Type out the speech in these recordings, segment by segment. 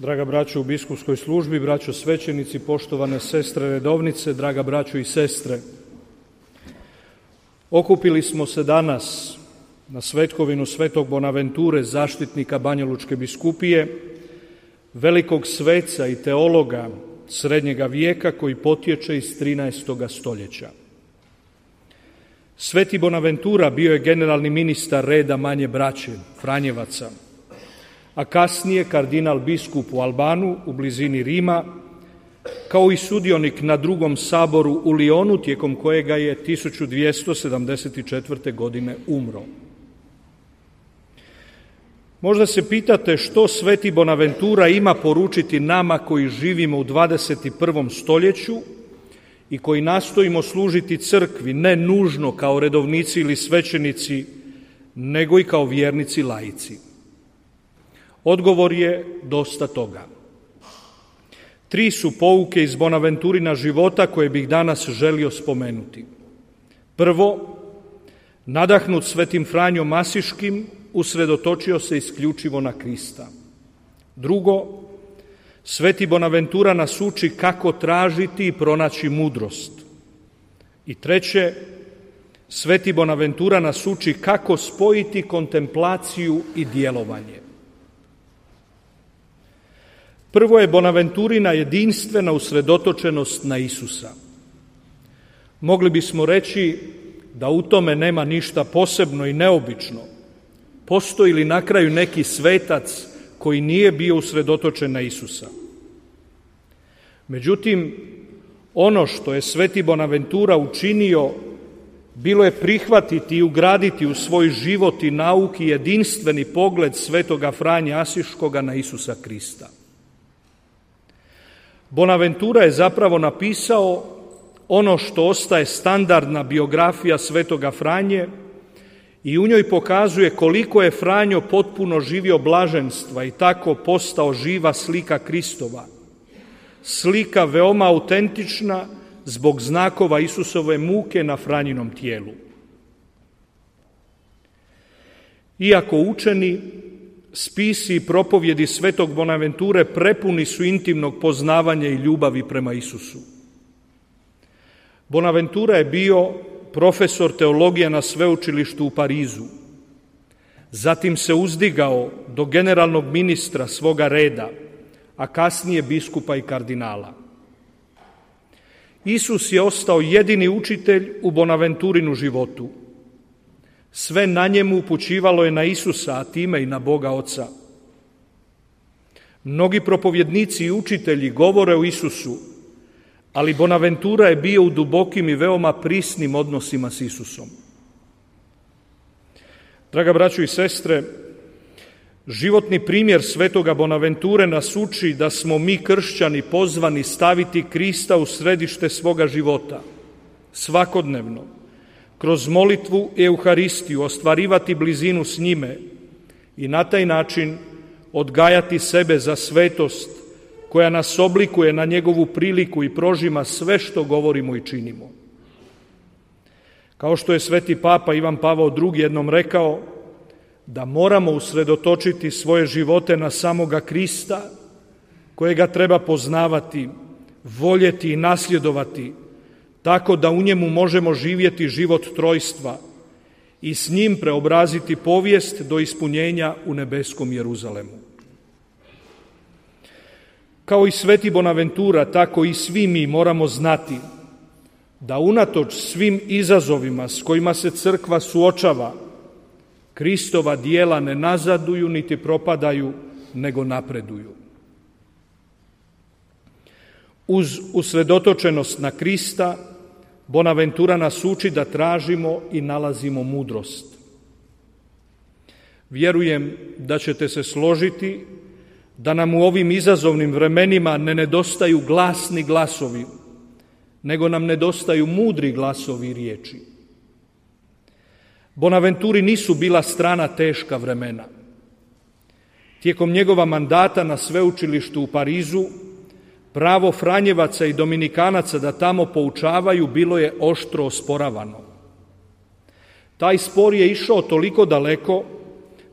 Draga braćo u biskupskoj službi, braćo svećenici, poštovane sestre redovnice, draga braćo i sestre. Okupili smo se danas na svetkovinu svetog Bonaventure, zaštitnika Banjalučke biskupije, velikog sveca i teologa srednjega vijeka koji potječe iz 13. stoljeća. Sveti Bonaventura bio je generalni ministar reda Manje braće, Franjevaca, a kasnije kardinal biskup u Albanu u blizini Rima, kao i sudionik na drugom saboru u Lionu, tijekom kojega je 1274. godine umro. Možda se pitate što sveti Bonaventura ima poručiti nama koji živimo u 21. stoljeću i koji nastojimo služiti crkvi, ne nužno kao redovnici ili svećenici, nego i kao vjernici laici. Odgovor je dosta toga. 3 su pouke iz Bonaventurina života koje bih danas želio spomenuti. Prvo, nadahnut svetim Franjom Asiškim, usredotočio se isključivo na Krista. Drugo, sveti Bonaventura nas uči kako tražiti i pronaći mudrost. I treće, sveti Bonaventura nas uči kako spojiti kontemplaciju i djelovanje. Prvo je Bonaventurina jedinstvena usredotočenost na Isusa. Mogli bismo reći da u tome nema ništa posebno i neobično. Postoji li na kraju neki svetac koji nije bio usredotočen na Isusa? Međutim, ono što je sveti Bonaventura učinio bilo je prihvatiti i ugraditi u svoj život i nauki jedinstveni pogled svetoga Franje Asiškoga na Isusa Krista. Bonaventura je zapravo napisao ono što ostaje standardna biografija svetoga Franje i u njoj pokazuje koliko je Franjo potpuno živio blaženstva i tako postao živa slika Kristova. Slika veoma autentična zbog znakova Isusove muke na Franjinom tijelu. Iako učeni, spisi i propovjedi svetog Bonaventure prepuni su intimnog poznavanja i ljubavi prema Isusu. Bonaventura je bio profesor teologije na sveučilištu u Parizu. Zatim se uzdigao do generalnog ministra svoga reda, a kasnije biskupa i kardinala. Isus je ostao jedini učitelj u Bonaventurinu životu. Sve na njemu upućivalo je na Isusa, a time i na Boga Oca. Mnogi propovjednici i učitelji govore o Isusu, ali Bonaventura je bio u dubokim i veoma prisnim odnosima s Isusom. Draga braćo i sestre, životni primjer svetoga Bonaventure nas uči da smo mi kršćani pozvani staviti Krista u središte svoga života, svakodnevno, kroz molitvu i Euharistiju ostvarivati blizinu s njime i na taj način odgajati sebe za svetost koja nas oblikuje na njegovu priliku i prožima sve što govorimo i činimo. Kao što je sveti papa Ivan Pavao II jednom rekao da moramo usredotočiti svoje živote na samoga Krista, kojega treba poznavati, voljeti i nasljedovati, tako da u njemu možemo živjeti život trojstva i s njim preobraziti povijest do ispunjenja u nebeskom Jeruzalemu. Kao i sveti Bonaventura, tako i svi mi moramo znati da unatoč svim izazovima s kojima se crkva suočava, Kristova djela ne nazaduju niti propadaju, nego napreduju. Uz usredotočenost na Krista, Bonaventura nas uči da tražimo i nalazimo mudrost. Vjerujem da ćete se složiti da nam u ovim izazovnim vremenima ne nedostaju glasni glasovi, nego nam nedostaju mudri glasovi i riječi. Bonaventuri nisu bila strana teška vremena. Tijekom njegova mandata na sveučilištu u Parizu, pravo Franjevaca i Dominikanaca da tamo poučavaju bilo je oštro osporavano. Taj spor je išao toliko daleko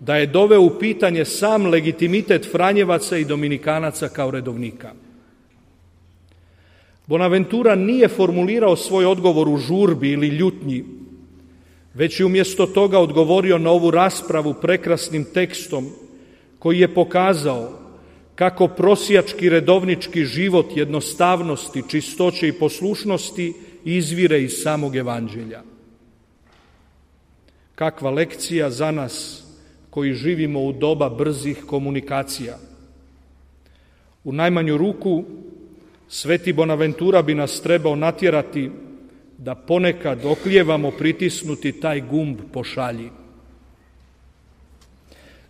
da je doveo u pitanje sam legitimitet Franjevaca i Dominikanaca kao redovnika. Bonaventura nije formulirao svoj odgovor u žurbi ili ljutnji, već je umjesto toga odgovorio na ovu raspravu prekrasnim tekstom koji je pokazao kako prosjački redovnički život jednostavnosti, čistoće i poslušnosti izvire iz samog evanđelja. Kakva lekcija za nas koji živimo u doba brzih komunikacija. U najmanju ruku, sveti Bonaventura bi nas trebao natjerati da ponekad oklijevamo pritisnuti taj gumb pošalji.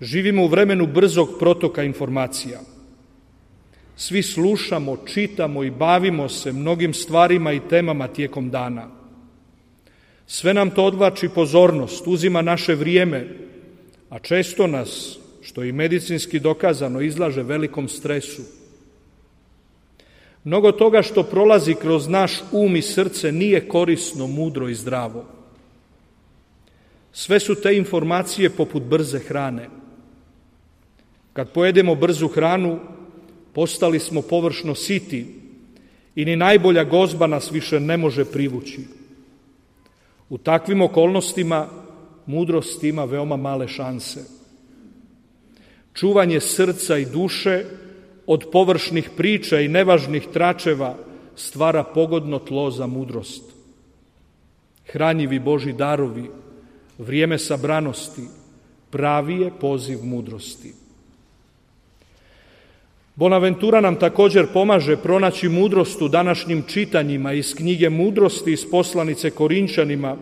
Živimo u vremenu brzog protoka informacija. Svi slušamo, čitamo i bavimo se mnogim stvarima i temama tijekom dana. Sve nam to odvlači pozornost, uzima naše vrijeme, a često nas, što je i medicinski dokazano, izlaže velikom stresu. Mnogo toga što prolazi kroz naš um i srce nije korisno, mudro i zdravo. Sve su te informacije poput brze hrane. Kad pojedemo brzu hranu, postali smo površno siti i ni najbolja gozba nas više ne može privući. U takvim okolnostima mudrost ima veoma male šanse. Čuvanje srca i duše od površnih priča i nevažnih tračeva stvara pogodno tlo za mudrost. Hranjivi Božji darovi, vrijeme sabranosti, pravi je poziv mudrosti. Bonaventura nam također pomaže pronaći mudrost u današnjim čitanjima iz knjige Mudrosti iz poslanice Korinčanima,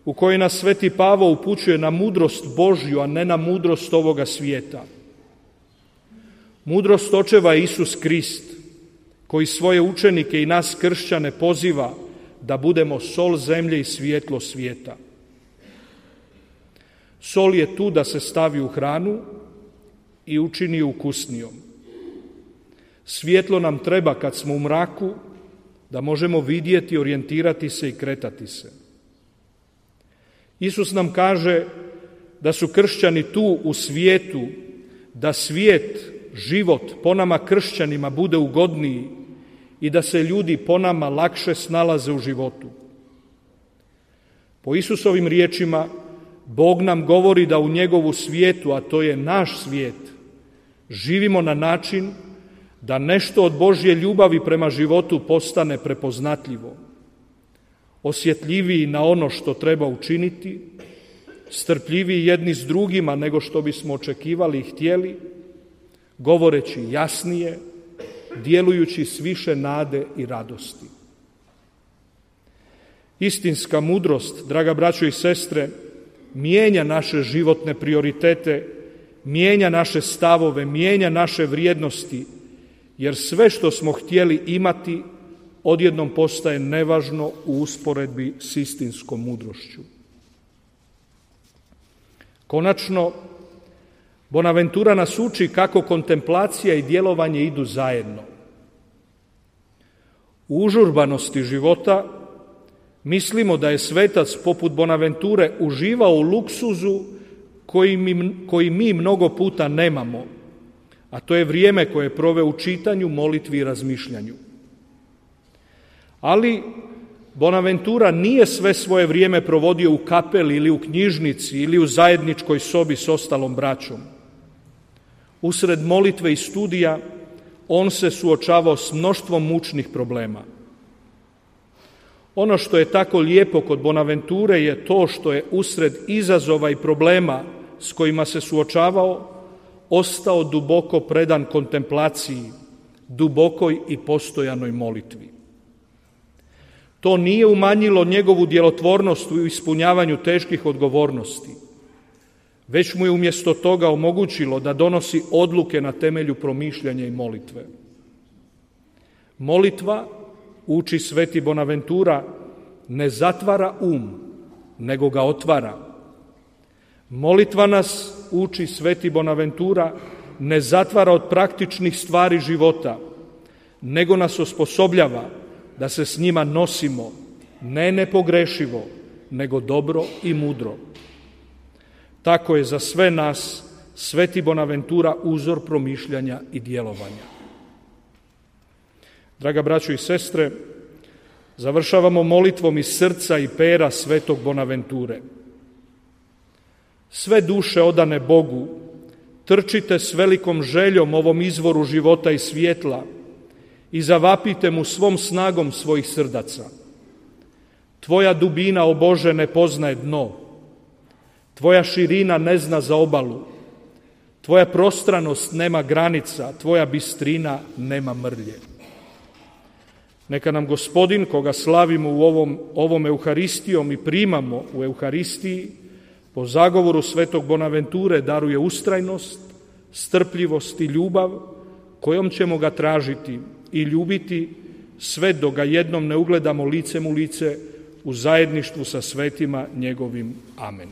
u kojoj nas sveti Pavo upućuje na mudrost Božju, a ne na mudrost ovoga svijeta. Mudrost očeva je Isus Krist, koji svoje učenike i nas kršćane poziva da budemo sol zemlje i svjetlo svijeta. Sol je tu da se stavi u hranu i učini je ukusnijom. Svjetlo nam treba kad smo u mraku, da možemo vidjeti, orijentirati se i kretati se. Isus nam kaže da su kršćani tu u svijetu, da svijet, život po nama kršćanima bude ugodniji i da se ljudi po nama lakše snalaze u životu. Po Isusovim riječima, Bog nam govori da u njegovu svijetu, a to je naš svijet, živimo na način da nešto od Božje ljubavi prema životu postane prepoznatljivo, osjetljiviji na ono što treba učiniti, strpljiviji jedni s drugima nego što bismo očekivali i htjeli, govoreći jasnije, djelujući s više nade i radosti. Istinska mudrost, draga braćo i sestre, mijenja naše životne prioritete, mijenja naše stavove, mijenja naše vrijednosti, jer sve što smo htjeli imati odjednom postaje nevažno u usporedbi s istinskom mudrošću. Konačno, Bonaventura nas uči kako kontemplacija i djelovanje idu zajedno. U užurbanosti života mislimo da je svetac poput Bonaventure uživao u luksuzu koji mi mnogo puta nemamo, a to je vrijeme koje je proveo u čitanju, molitvi i razmišljanju. Ali Bonaventura nije sve svoje vrijeme provodio u kapeli ili u knjižnici ili u zajedničkoj sobi s ostalom braćom. Usred molitve i studija on se suočavao s mnoštvom mučnih problema. Ono što je tako lijepo kod Bonaventure je to što je usred izazova i problema s kojima se suočavao ostao duboko predan kontemplaciji, dubokoj i postojanoj molitvi. To nije umanjilo njegovu djelotvornost u ispunjavanju teških odgovornosti, već mu je umjesto toga omogućilo da donosi odluke na temelju promišljanja i molitve. Molitva, uči sveti Bonaventura, ne zatvara nego ga otvara. Molitva nas, uči sveti Bonaventura, ne zatvara od praktičnih stvari života, nego nas osposobljava da se s njima nosimo, ne nepogrešivo, nego dobro i mudro. tako je za sve nas Sveti Bonaventura uzor promišljanja i djelovanja. Draga braćo i sestre, završavamo molitvom iz srca i pera Svetog Bonaventure. Sve duše odane Bogu, trčite s velikom željom ovom izvoru života i svjetla i zavapite mu svom snagom svojih srdaca. Tvoja dubina, o Bože, ne poznaje dno. Tvoja širina ne zna za obalu. Tvoja prostranost nema granica, tvoja bistrina nema mrlje. Neka nam Gospodin, koga slavimo u ovom Euharistijom i primamo u Euharistiji, po zagovoru Svetog Bonaventure daruje ustrajnost, strpljivost i ljubav, kojom ćemo ga tražiti i ljubiti sve dok ga jednom ne ugledamo licem u lice u zajedništvu sa svetima njegovim. Amen.